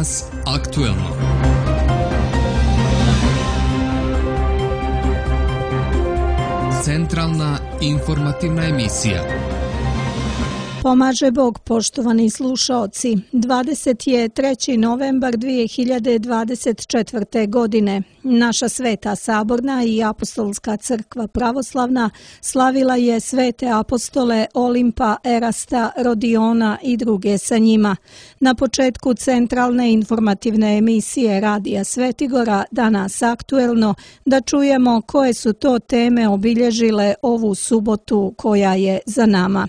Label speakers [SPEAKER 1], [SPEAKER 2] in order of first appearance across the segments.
[SPEAKER 1] Danas aktuelno. Centralna informativna emisija.
[SPEAKER 2] Pomaže Bog, poštovani slušaoci. 23. novembar 2024. godine. Naša Sveta Saborna i Apostolska crkva pravoslavna slavila je svete apostole Olimpa, Erasta, Rodiona i druge sa njima. Na početku centralne informativne emisije Radija Svetigora Danas aktuelno da čujemo koje su to teme obilježile ovu subotu koja je za nama.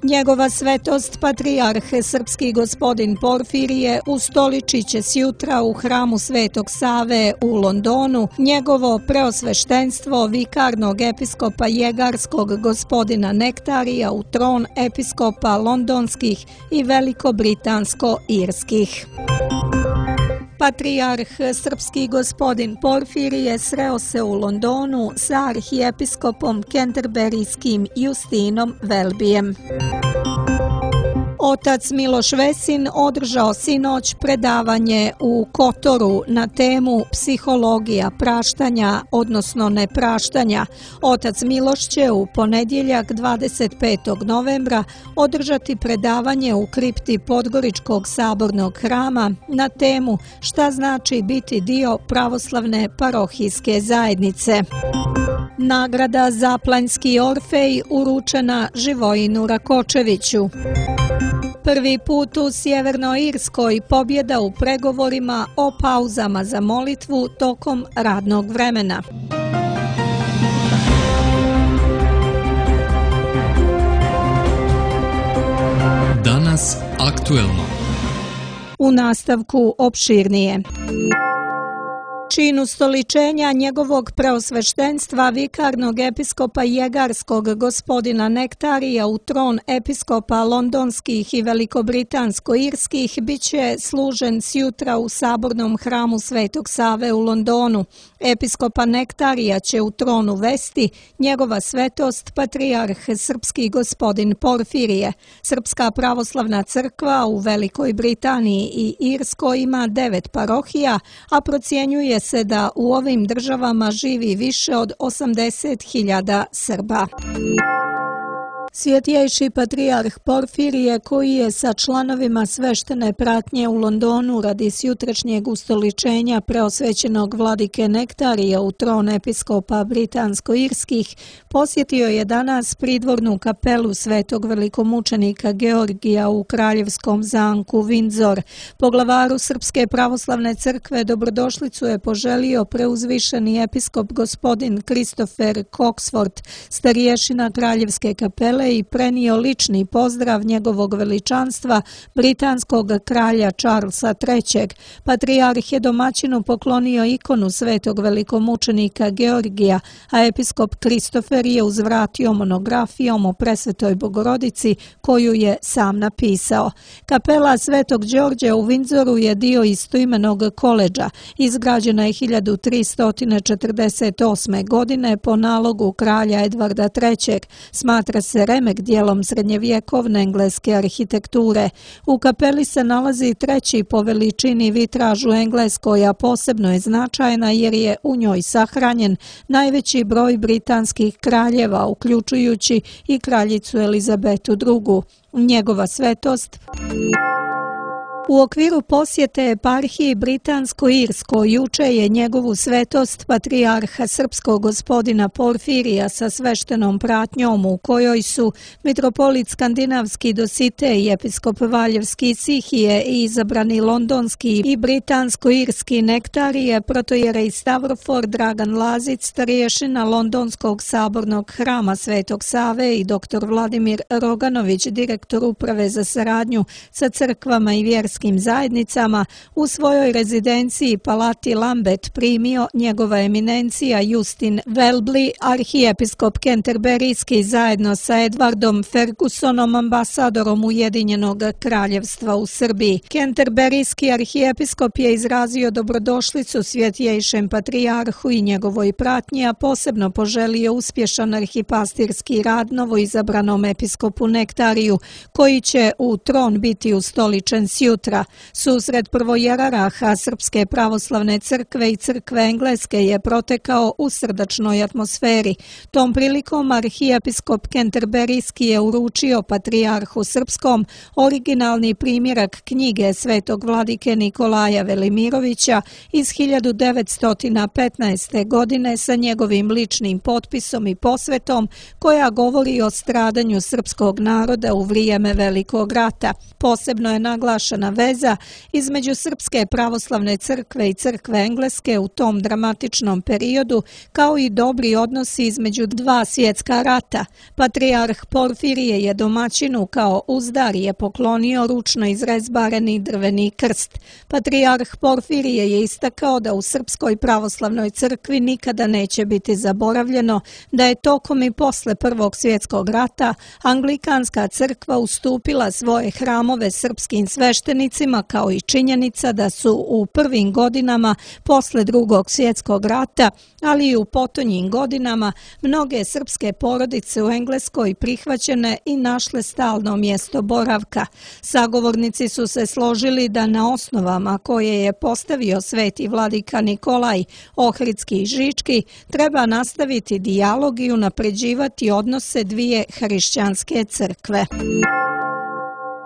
[SPEAKER 2] Njegova svetost patrijarh srpski gospodin Porfirije ustoličit će sjutra u hramu Svetog Save u Londonu njegovo preosveštenstvo vikarnog episkopa jegarskog gospodina Nektarija u tron episkopa londonskih i veliko-britansko-irskih. Patrijarh srpski gospodin Porfirije sreo se u Londonu sa arhijepiskopom kenterberijskim Justinom Welbyjem. Otac Miloš Vesin održao sinoć predavanje u Kotoru na temu psihologija praštanja, odnosno nepraštanja. Otac Miloš će u ponedjeljak 25. novembra održati predavanje u kripti Podgoričkog sabornog hrama na temu šta znači biti dio pravoslavne parohijske zajednice. Nagrada za Planjski Orfej uručena Živojinu Rakočeviću. Prvi put u Sjevernoj Irskoj pobjeda u pregovorima o pauzama za molitvu tokom radnog vremena.
[SPEAKER 1] Danas aktuelno.
[SPEAKER 2] U nastavku opširnije. Čin ustoličenja njegovog preosveštenstva vikarnog episkopa jegarskog gospodina Nektarija u tron episkopa londonskih i veliko-britansko-irskih bit će služen sjutra u sabornom hramu Svetog Save u Londonu. Episkopa Nektarija će u tronu vesti njegova svetost patrijarh srpski gospodin Porfirije. Srpska pravoslavna crkva u Velikoj Britaniji i Irskoj ima 9 parohija, a procjenjuje se da u ovim državama živi više od 80.000 Srba. Svjetjejši patrijarh Porfirije, koji je sa članovima sveštene pratnje u Londonu radi sjutrašnjeg ustoličenja preosvećenog vladike Nektarija u tron episkopa britansko-irskih, posjetio je danas pridvornu kapelu svetog velikomučenika Georgija u kraljevskom zamku Windsor. Poglavaru Srpske pravoslavne crkve dobrodošlicu je poželio preuzvišeni episkop gospodin Christopher Coxford, starješina kraljevske kapele, i prenio lični pozdrav njegovog veličanstva britanskog kralja Charlesa III. Patrijarh je domaćinu poklonio ikonu svetog velikomučenika Georgija, a episkop Kristofer je uzvratio monografijom o presvetoj Bogorodici koju je sam napisao. Kapela Svetog Đorđa u Windsoru je dio istoimenog koledža. Izgrađena je 1348. godine po nalogu kralja Edvarda III. Smatra se remek dijelom srednjevjekovne engleske arhitekture. U kapeli se nalazi treći po veličini vitraž u Engleskoj, a posebno je značajna jer je u njoj sahranjen najveći broj britanskih kraljeva, uključujući i kraljicu Elizabetu II. Njegova svetost u okviru posjete eparhiji Britansko-Irskoj juče je njegovu svetost patrijarha srpskog gospodina Porfirija sa sveštenom pratnjom u kojoj su mitropolit skandinavski Dositej, episkop Valjevski Sihije i izabrani londonski i britansko-irski Nektarije, protojerej Stavrofor Dragan Lazić, starješina londonskog sabornog hrama Svetog Save i dr. Vladimir Roganović, direktor uprave za saradnju sa crkvama i vjerskim vjerskim zajednicama u svojoj rezidenciji Palati Lambeth primio njegova eminencija Justin Welby, arhijepiskop Kenterberijski, zajedno sa Edwardom Fergusonom, ambasadorom Ujedinjenog kraljevstva u Srbiji. Kenterberijski arhijepiskop je izrazio dobrodošlicu svjetjejšem patrijarhu i njegovoj pratnji, a posebno poželio uspješan arhipastirski rad novoizabranom episkopu Nektariju, koji će u tron biti ustoličen sjutra. Susret prvojeraraha Srpske pravoslavne crkve i crkve Engleske je protekao u srdačnoj atmosferi. Tom prilikom arhijepiskop Kenterberijski je uručio patrijarhu srpskom originalni primjerak knjige svetog vladike Nikolaja Velimirovića iz 1915. godine sa njegovim ličnim potpisom i posvetom, koja govori o stradanju srpskog naroda u vrijeme Velikog rata. Posebno je naglašena veza između Srpske pravoslavne crkve i crkve Engleske u tom dramatičnom periodu, kao i dobri odnosi između dva svjetska rata. Patrijarh Porfirije je domaćinu kao uzdarije poklonio ručno izrezbareni drveni krst. Patrijarh Porfirije je istakao da u Srpskoj pravoslavnoj crkvi nikada neće biti zaboravljeno da je tokom i posle Prvog svjetskog rata Anglikanska crkva ustupila svoje hramove srpskim sveštenicima, kao i činjenica da su u prvim godinama posle Drugog svjetskog rata, ali i u potonjim godinama, mnoge srpske porodice u Engleskoj prihvaćene i našle stalno mjesto boravka. Sagovornici su se složili da na osnovama koje je postavio sveti vladika Nikolaj Ohridski i Žički treba nastaviti dijalog i unapređivati odnose dvije hrišćanske crkve.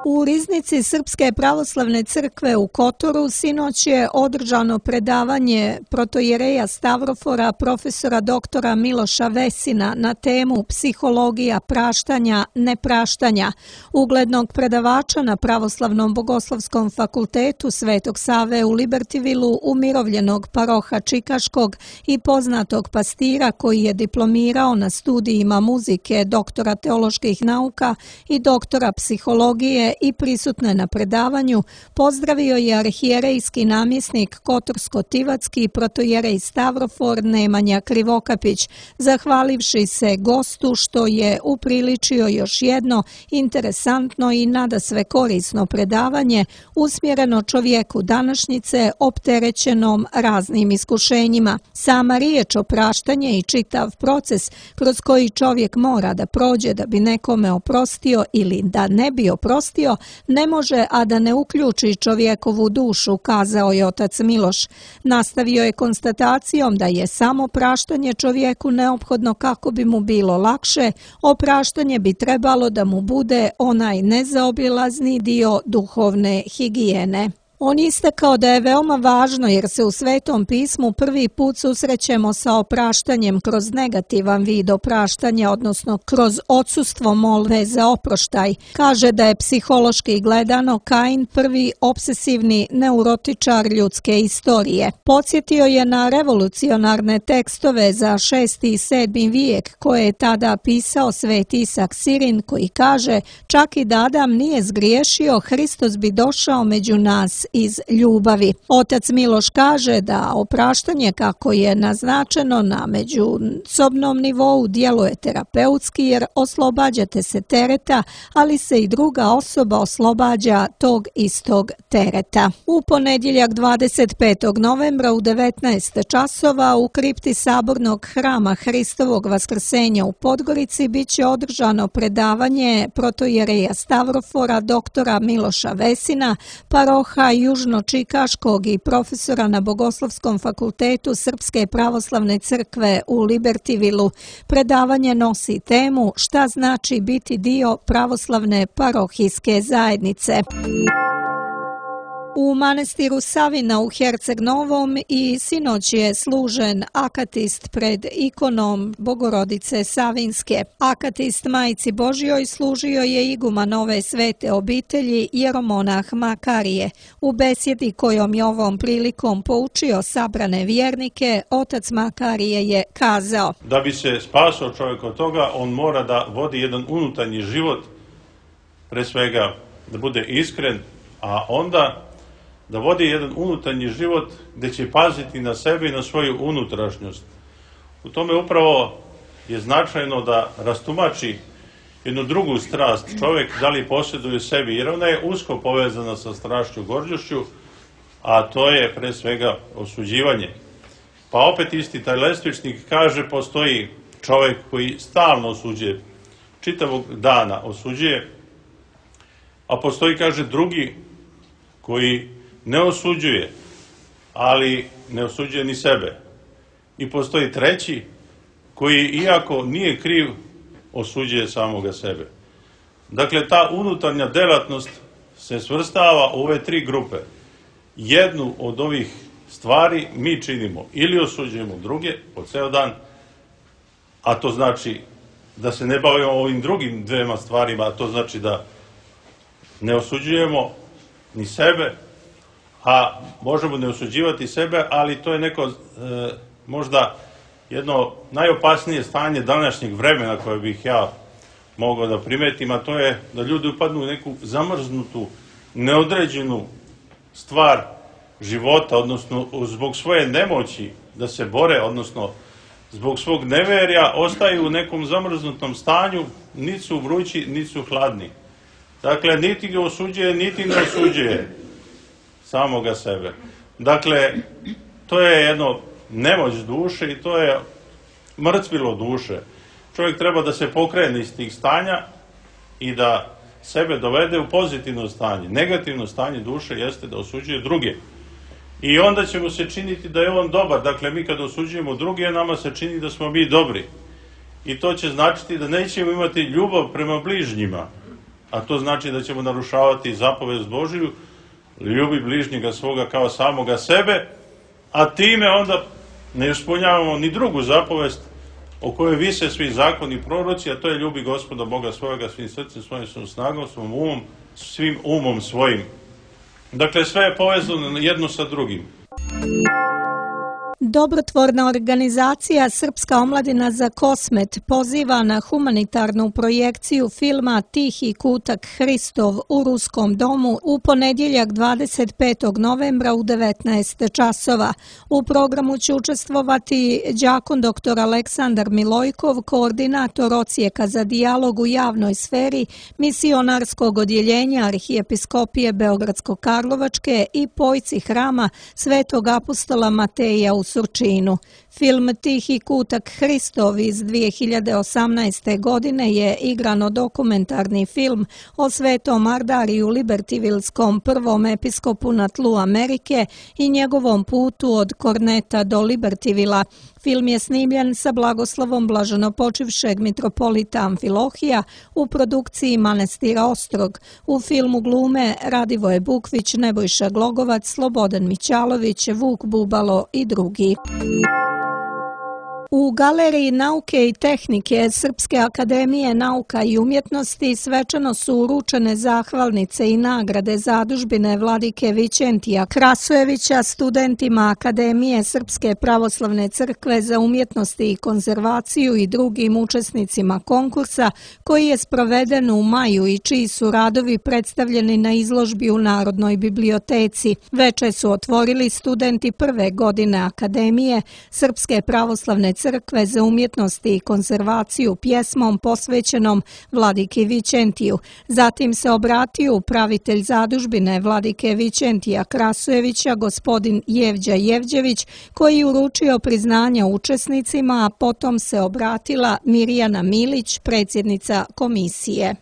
[SPEAKER 2] U riznici Srpske pravoslavne crkve u Kotoru sinoć je održano predavanje protojereja Stavrofora profesora doktora Miloša Vesina na temu psihologija praštanja, nepraštanja, uglednog predavača na Pravoslavnom bogoslovskom fakultetu Svetog Save u Libertyvillu, umirovljenog paroha Čikaškog i poznatog pastira koji je diplomirao na studijima muzike, doktora teoloških nauka i doktora psihologije i prisutne na predavanju, pozdravio je arhijerejski namjesnik Kotorsko-Tivatski protojerej Stavrofor Nemanja Krivokapić, zahvalivši se gostu što je upriličio još jedno interesantno i nadasve korisno predavanje usmjereno čovjeku današnjice opterećenom raznim iskušenjima. Sama riječ opraštanje i čitav proces kroz koji čovjek mora da prođe da bi nekome oprostio ili da ne bi oprostio, ne može a da ne uključi čovjekovu dušu, kazao je otac Miloš. Nastavio je konstatacijom da je samo praštanje čovjeku neophodno kako bi mu bilo lakše, opraštanje bi trebalo da mu bude onaj nezaobilazni dio duhovne higijene. On je istakao da je veoma važno jer se u Svetom pismu prvi put susrećemo sa opraštanjem kroz negativan vid opraštanja, odnosno kroz odsustvo molbe za oproštaj. Kaže da je psihološki gledano Kain prvi obsesivni neurotičar ljudske istorije. Podsjetio je na revolucionarne tekstove za 6. i 7. vijek koje je tada pisao sveti Isak Sirin, koji kaže: čak i da Adam nije zgriješio, Hristos bi došao među nas iz ljubavi. Otac Miloš kaže da opraštanje kako je naznačeno na međusobnom nivou djeluje terapeutski jer oslobađate se tereta, ali se i druga osoba oslobađa tog istog tereta. U ponedjeljak 25. novembra u 19 časova u kripti Sabornog hrama Hristovog vaskrsenja u Podgorici bit će održano predavanje protojereja Stavrofora doktora Miloša Vesina, paroha Južno-Čikaškog i profesora na Bogoslovskom fakultetu Srpske pravoslavne crkve u Libertyvillu. Predavanje nosi temu šta znači biti dio pravoslavne parohijske zajednice. U manastiru Savina u Herceg Novom i sinoć je služen akatist pred ikonom Bogorodice Savinske. Akatist Majci Božjoj služio je iguman nove svete obitelji jeromonah Makarije. U besjedi kojom je ovom prilikom poučio sabrane vjernike, otac Makarije je kazao:
[SPEAKER 3] da bi se spasao čovjek od toga, on mora da vodi jedan unutarnji život, pre svega da bude iskren, a onda da vodi jedan unutarnji život gdje će paziti na sebe i na svoju unutrašnjost. U tome upravo je značajno da rastumači jednu drugu strast čovjek, da li posjeduje sebi, jer ona je usko povezana sa strašću, gorđošću, a to je pre svega osuđivanje. Pa opet isti taj lestvičnik kaže, postoji čovjek koji stalno osuđuje, čitavog dana osuđuje, a postoji, kaže, drugi koji ne osuđuje, ali ne osuđuje ni sebe. I postoji treći koji, iako nije kriv, osuđuje samoga sebe. Dakle, ta unutarnja delatnost se svrstava u ove tri grupe. Jednu od ovih stvari mi činimo ili osuđujemo druge po ceo dan, a to znači da se ne bavimo ovim drugim dvema stvarima, a to znači da ne osuđujemo ni sebe, a možemo ne osuđivati sebe, ali to je neko možda jedno najopasnije stanje današnjeg vremena koje bih ja mogao da primetim, a to je da ljudi upadnu u neku zamrznutu, neodređenu stvar života, odnosno zbog svoje nemoći da se bore, odnosno zbog svog neverja, ostaju u nekom zamrznutom stanju, niti su vrući, niti su hladni. Dakle, niti ga osuđuje, niti ne osuđuje samoga sebe. Dakle, to je jedno nemoć duše i to je mrtvilo duše. Čovjek treba da se pokrene iz tih stanja i da sebe dovede u pozitivno stanje. Negativno stanje duše jeste da osuđuje druge. I onda će mu se činiti da je on dobar. Dakle, mi kad osuđujemo druge, nama se čini da smo mi dobri. I to će značiti da nećemo imati ljubav prema bližnjima. A to znači da ćemo narušavati zapovest Božiju, ljubi bližnjega svoga kao samoga sebe, a time onda ne ispunjavamo ni drugu zapovest o kojoj vise svi zakoni i proroci, a to je ljubi Gospoda Boga svojega svim srcem, svojim snagom, svojim umom, svim umom svojim. Dakle, sve je povezano jedno sa drugim.
[SPEAKER 2] Dobrotvorna organizacija Srpska omladina za Kosmet poziva na humanitarnu projekciju filma Tihi kutak Hristov u Ruskom domu u ponedjeljak 25. novembra u 19 časova. U programu će učestvovati đakon dr. Aleksandar Milojkov, koordinator odsjeka za dijalog u javnoj sferi misionarskog odjeljenja Arhijepiskopije Beogradsko-Karlovačke i pojci hrama Svetog apostola Mateja u Surčinu. Film Tihi kutak Hristov iz 2018. godine je igrano-dokumentarni film o Svetom Ardariju Libertivilskom, prvom episkopu na tlu Amerike i njegovom putu od Korneta do Libertivila. Film je snimljen sa blagoslovom blaženopočivšeg mitropolita Amfilohija u produkciji Manastira Ostrog. U filmu glume Radivoje Bukvić, Nebojša Glogovac, Slobodan Mićalović, Vuk Bubalo i drugi. U Galeriji nauke i tehnike Srpske akademije nauka i umjetnosti svečano su uručene zahvalnice i nagrade zadužbine vladike Vićentija Krasojevića studentima Akademije Srpske pravoslavne crkve za umjetnosti i konzervaciju i drugim učesnicima konkursa koji je sproveden u maju i čiji su radovi predstavljeni na izložbi u Narodnoj biblioteci. Veče su otvorili studenti prve godine Akademije Srpske pravoslavne crkve za umjetnosti i konzervaciju pjesmom posvećenom vladiki Vićentiju. Zatim se obratio upravitelj zadužbine vladike Vićentija Krasojevića, gospodin Jevđa Jevđević, koji uručio priznanja učesnicima, a potom se obratila Mirjana Milić, predsjednica komisije.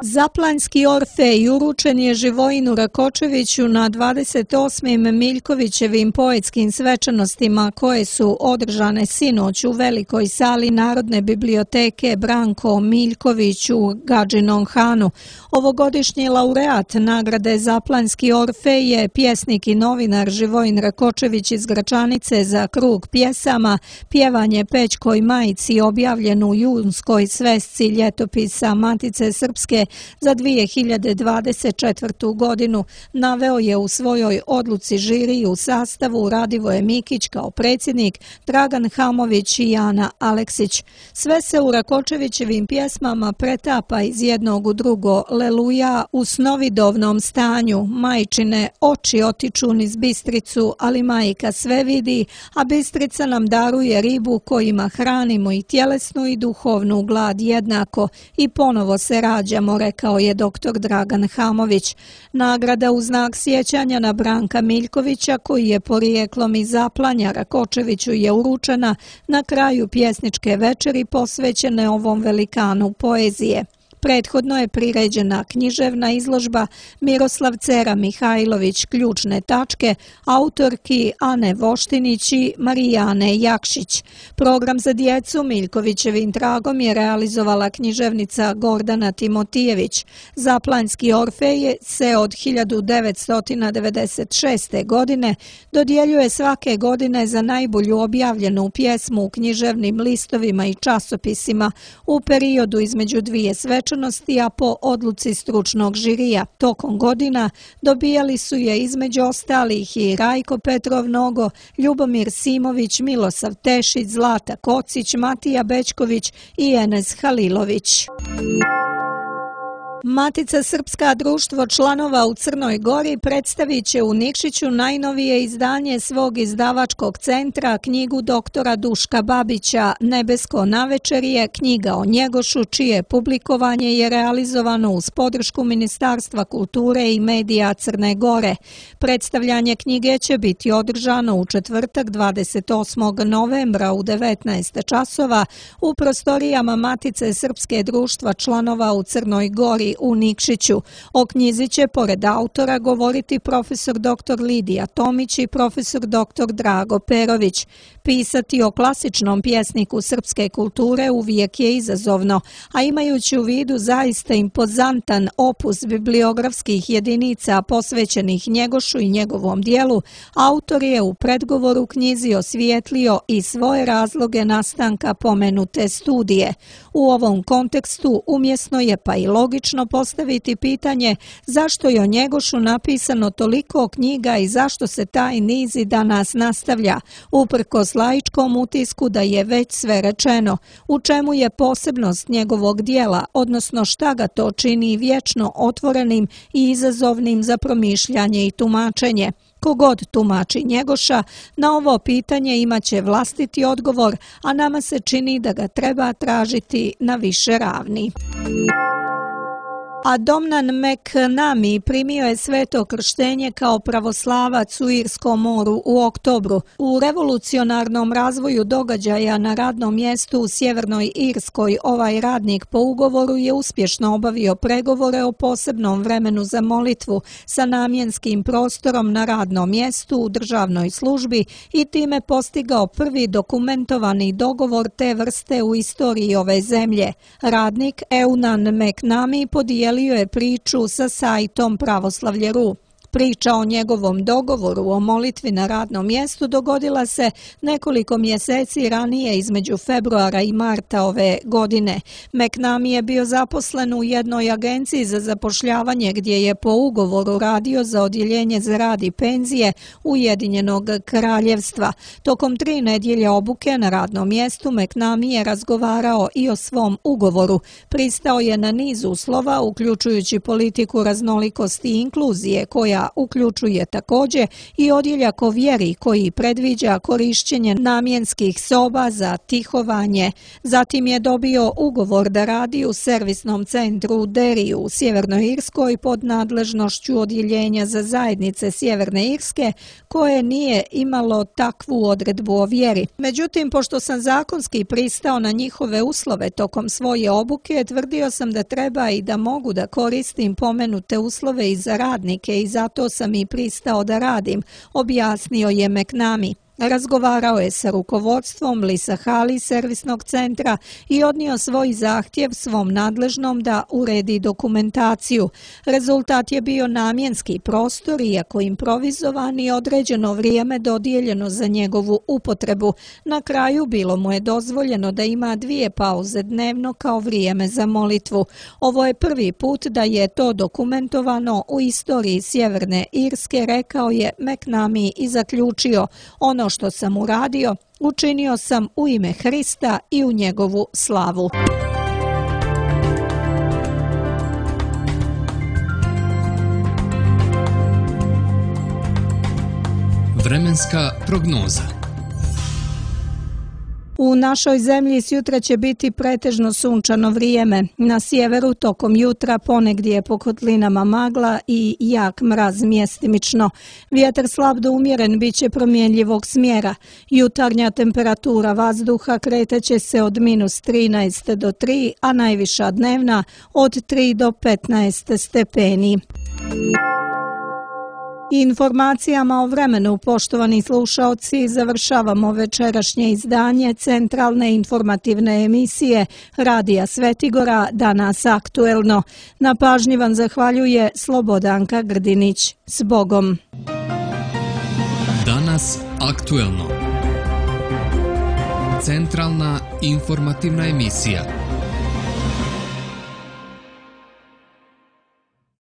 [SPEAKER 2] Zaplanjski Orfej uručen je Živojinu Rakočeviću na 28. Miljkovićevim poetskim svečanostima koje su održane sinoć u velikoj sali Narodne biblioteke Branko Miljković u Gadžinom Hanu. Ovogodišnji laureat nagrade Zaplanjski Orfej je pjesnik i novinar Živojin Rakočević iz Gračanice za krug pjesama Pjevanje Pećkoj majici, objavljen u junskoj svesci ljetopisa Matice Srpske nagrade za 2024. godinu, naveo je u svojoj odluci žiriji u sastavu Radivoje Mikić kao predsjednik, Dragan Hamović i Jana Aleksić. Sve se u Rakočevićevim pjesmama pretapa iz jednog u drugo, leluja u snovidovnom stanju, majčine oči otiču niz bistricu, ali majka sve vidi, a bistrica nam daruje ribu kojima hranimo i tjelesnu i duhovnu glad jednako i ponovo se rađamo, rekao je dr. Dragan Hamović. Nagrada u znak sjećanja na Branka Miljkovića, koji je porijeklom iz Zaplanja, Rakočeviću je uručena na kraju pjesničke večeri posvećene ovom velikanu poezije. Prethodno je priređena književna izložba Miroslav Cera Mihajlović ključne tačke autorki Ane Voštinić i Marijane Jakšić. Program za djecu Miljkovićevim tragom je realizovala književnica Gordana Timotijević. Zaplanjski Orfej se od 1996. godine dodjeljuje svake godine za najbolju objavljenu pjesmu u književnim listovima i časopisima u periodu između dvije svečanosti, a po odluci stručnog žirija. Tokom godina dobijali su je između ostalih i Rajko Petrov Nogo, Ljubomir Simović, Milosav Tešić, Zlata Kocić, Matija Bečković i Enes Halilović. Matica Srpska društvo članova u Crnoj Gori predstavit će u Nikšiću najnovije izdanje svog izdavačkog centra, knjigu doktora Duška Babića Nebesko navečerje, knjiga o Njegošu, čije publikovanje je realizovano uz podršku Ministarstva kulture i medija Crne Gore. Predstavljanje knjige će biti održano u četvrtak 28. novembra u 19 časova u prostorijama Matice Srpske društva članova u Crnoj Gori u Nikšiću. O knjizi će pored autora govoriti profesor dr. Lidija Tomić i profesor dr. Drago Perović. Pisati o klasičnom pjesniku srpske kulture uvijek je izazovno, a imajući u vidu zaista impozantan opus bibliografskih jedinica posvećenih Njegošu i njegovom dijelu, autor je u predgovoru knjizi osvijetlio i svoje razloge nastanka pomenute studije. U ovom kontekstu umjesno je pa i logično postaviti pitanje zašto je o Njegošu napisano toliko knjiga i zašto se taj niz i danas nastavlja, uprkos laičkom utisku da je već sve rečeno, u čemu je posebnost njegovog dijela, odnosno šta ga to čini vječno otvorenim i izazovnim za promišljanje i tumačenje. Kogod tumači Njegoša, na ovo pitanje imaće vlastiti odgovor, a nama se čini da ga treba tražiti na više ravni. A Domnan McNamee primio je sveto krštenje kao pravoslavac u Irskom moru u oktobru. U revolucionarnom razvoju događaja na radnom mjestu u Sjevernoj Irskoj ovaj radnik po ugovoru je uspješno obavio pregovore o posebnom vremenu za molitvu sa namjenskim prostorom na radnom mjestu u državnoj službi i time postigao prvi dokumentovani dogovor te vrste u istoriji ove zemlje. Radnik Eunan McNamee podijelio je priču sa sajtom Pravoslavlje.ru. Priča o njegovom dogovoru o molitvi na radnom mjestu dogodila se nekoliko mjeseci ranije između februara i marta ove godine. McNamee je bio zaposlen u jednoj agenciji za zapošljavanje gdje je po ugovoru radio za odjeljenje za rad i penzije Ujedinjenog kraljevstva. Tokom 3 nedjelje obuke na radnom mjestu McNamee je razgovarao i o svom ugovoru. Pristao je na niz uslova, uključujući politiku raznolikosti i inkluzije, koja uključuje također i odjeljak o vjeri koji predviđa korišćenje namjenskih soba za tihovanje. Zatim je dobio ugovor da radi u servisnom centru u Derriju u Sjevernoj Irskoj pod nadležnošću odjeljenja za zajednice Sjeverne Irske koje nije imalo takvu odredbu o vjeri. Međutim, pošto sam zakonski pristao na njihove uslove tokom svoje obuke, tvrdio sam da treba i da mogu da koristim pomenute uslove i za radnike i zato sam i pristao da radim, objasnio je McNamee. Razgovarao je sa rukovodstvom Lisa Hali servisnog centra i odnio svoj zahtjev svom nadležnom da uredi dokumentaciju. Rezultat je bio namjenski prostor, iako improvizovan i određeno vrijeme dodijeljeno za njegovu upotrebu. Na kraju bilo mu je dozvoljeno da ima 2 pauze dnevno kao vrijeme za molitvu. Ovo je prvi put da je to dokumentovano u istoriji Sjeverne Irske, rekao je McNamee i zaključio: ono što sam uradio, učinio sam u ime Hrista i u njegovu slavu.
[SPEAKER 1] Vremenska prognoza.
[SPEAKER 2] U našoj zemlji sjutra će biti pretežno sunčano vrijeme. Na sjeveru tokom jutra ponegdje po kotlinama magla i jak mraz mjestimično. Vjetar slab do umjeren bit će promjenjivog smjera. Jutarnja temperatura vazduha kretaće se od -13 do 3, a najviša dnevna od 3 do 15 stepeni. Informacijama o vremenu, poštovani slušaoci, završavamo večerašnje izdanje centralne informativne emisije Radija Svetigora Danas aktuelno. Na pažnji vam zahvaljuje Slobodanka Grdinić. S Bogom!
[SPEAKER 1] Danas aktuelno. Centralna informativna emisija.